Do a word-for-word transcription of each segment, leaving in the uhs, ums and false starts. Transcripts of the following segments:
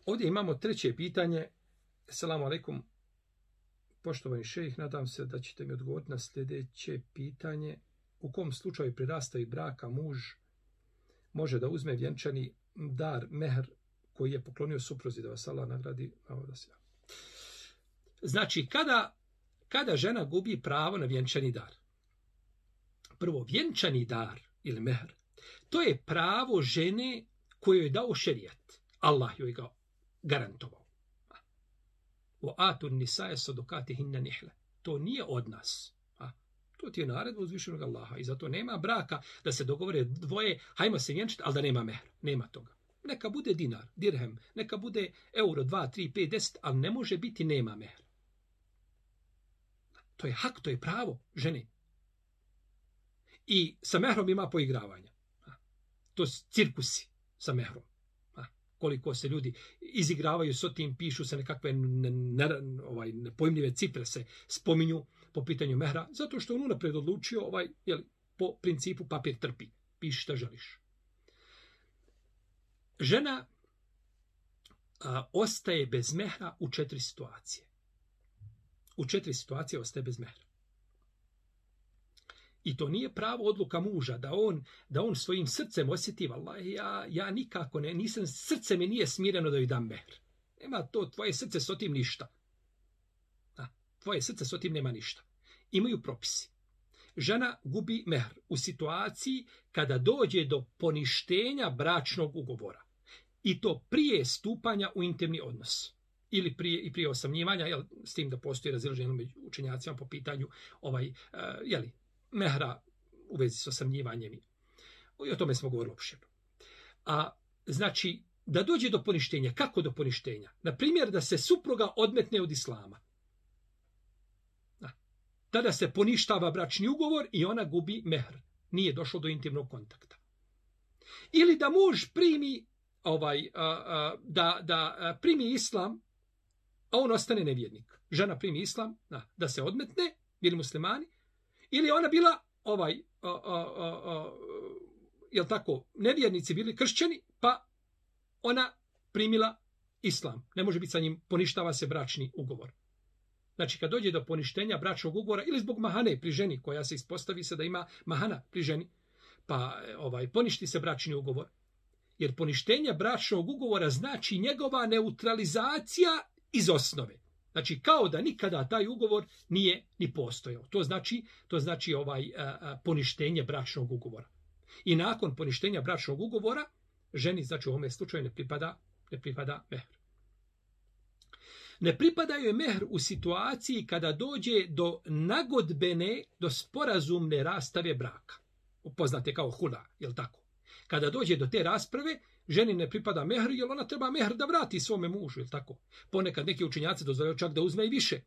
Ovdje imamo treće pitanje. Assalamu alaikum. Poštovani šejh, nadam se da ćete mi odgovoriti na sljedeće pitanje. U kom slučaju pri rastavi braka muž može da uzme vjenčani dar, mehr, koji je poklonio supruzi, da vas Allah nagradi? Znači, kada, kada žena gubi pravo na vjenčani dar? Prvo, vjenčani dar ili mehr, to je pravo žene koju je dao šerijat. Allah joj ga garantovao. O atun nisaje sadokatihinna nihle. To nije od nas. A, to ti je naredba uzvišenog Allaha. I zato nema braka da se dogovore dvoje, hajmo se vjenčati, ali da nema mehra. Nema toga. Neka bude dinar, dirhem, neka bude euro, dva, tri, pet, deset, ali ne može biti nema mehra. To je hak, to je pravo žene. I sa mehrom ima poigravanja. To su cirkusi sa mehrom. Koliko se ljudi izigravaju s tim, pišu se nekakve ne, ne, ovaj, nepojmljive cifre se spominju po pitanju mehra, zato što on unaprijed odlučio ovaj, jel, po principu papir trpi, piši šta želiš. Žena a, ostaje bez mehra u četiri situacije. U četiri situacije ostaje bez mehra. I to nije pravo odluka muža, da on, da on svojim srcem osjeti, vallahi, ja, ja nikako ne, nisam, srce mi nije smireno da joj dam mehr. Nema to, tvoje srce s otim ništa. Da, tvoje srce s otim nema ništa. Imaju propisi. Žena gubi mehr u situaciji kada dođe do poništenja bračnog ugovora. I to prije stupanja u intimni odnos. Ili prije, i prije osamljivanja, jel, s tim da postoji razilaženje među učenjacima po pitanju ovaj, uh, jeli, mehra u vezi s osamljivanjem. I o tome smo govorili opširno. A znači, da dođe do poništenja. Kako do poništenja? Na primjer, da se supruga odmetne od islama. Da. Tada se poništava bračni ugovor i ona gubi mehr. Nije došlo do intimnog kontakta. Ili da muž primi ovaj, a, a, da, da primi islam, a on ostane nevjernik. Žena primi islam, da, da se odmetne, bili muslimani, ili ona bila ovaj, a, a, a, a, jel tako, nevjernici bili kršćani, pa ona primila islam. Ne može biti sa njim, poništava se bračni ugovor. Znači, kad dođe do poništenja bračnog ugovora, ili zbog mahane pri ženi, koja se ispostavi se da ima mahana pri ženi, pa ovaj, poništi se bračni ugovor. Jer poništenje bračnog ugovora znači njegova neutralizacija iz osnove. Znači, kao da nikada taj ugovor nije ni postojao. To znači, to znači ovaj a, a, poništenje bračnog ugovora. I nakon poništenja bračnog ugovora, ženi, znači u ovome slučaju ne pripada, ne pripada mehr. Ne pripada joj mehr u situaciji kada dođe do nagodbene, do sporazumne rastave braka. Poznate kao hula, jel tako? Kada dođe do te rasprave, ženi ne pripada mehr, jer ona treba mehr da vrati svome mužu, jel tako? Ponekad neki učenjaci dozvoljavaju čak da uzme i više.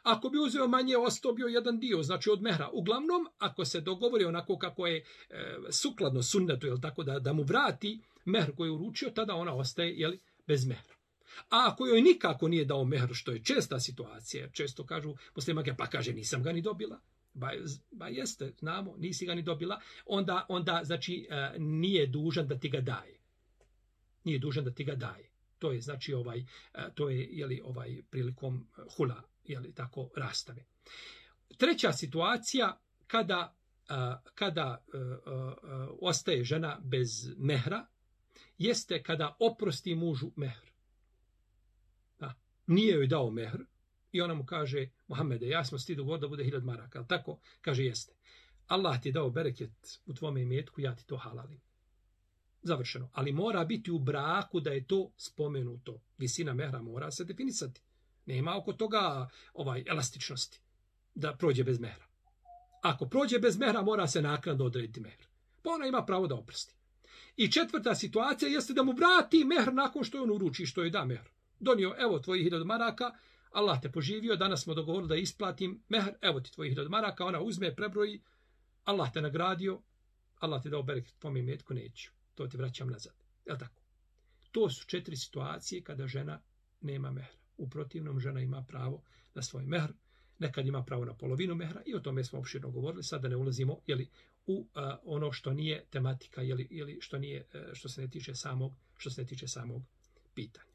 Ako bi uzeo manje, ostao bio jedan dio, znači od mehra. Uglavnom, ako se dogovori onako kako je e, sukladno sunnetu, jel tako, da, da mu vrati mehr koji je uručio, tada ona ostaje, jel, bez mehra. A ako joj nikako nije dao mehr, što je česta situacija, često kažu muslimanke, pa kaže, nisam ga ni dobila. Ba, ba jeste, znamo, nisi ga ni dobila, onda, onda znači, e, nije dužan da ti ga daje. Nije dužan da ti ga daje. To je, znači, ovaj, e, to je, jeli, ovaj, prilikom hula, jeli, tako, rastave. Treća situacija, kada, a, kada a, a, a, ostaje žena bez mehra, jeste kada oprosti mužu mehr. Da. Nije joj dao mehr i ona mu kaže, Muhammede, ja smo ti dogovor da bude hiljad maraka, ali tako? Kaže, jeste. Allah ti je dao bereket u tvome imetku, ja ti to halalim. Završeno. Ali mora biti u braku da je to spomenuto. Visina mehra mora se definisati. Nema oko toga ovaj elastičnosti da prođe bez mehra. Ako prođe bez mehra, mora se naknadno odrediti mehr. Pa ona ima pravo da oprosti. I četvrta situacija jeste da mu vrati mehr nakon što on uruči, što joj da mehr. Donio, evo tvojih hiljad maraka, Allah te poživio, danas smo dogovorili da isplatim mehr, evo ti tvojih hiljad maraka, ona uzme, prebroji, Allah te nagradio, Allah te dao bereket tvome imetku, neću. To ti vraćam nazad. Je li tako? To su četiri situacije kada žena nema mehra. U protivnom, žena ima pravo na svoj mehr, nekad ima pravo na polovinu mehra i o tome smo opširno govorili. Sada ne ulazimo jeli, u uh, ono što nije tematika, jeli, jeli, što, nije, uh, što se ne tiče samog, što se ne tiče samog pitanja.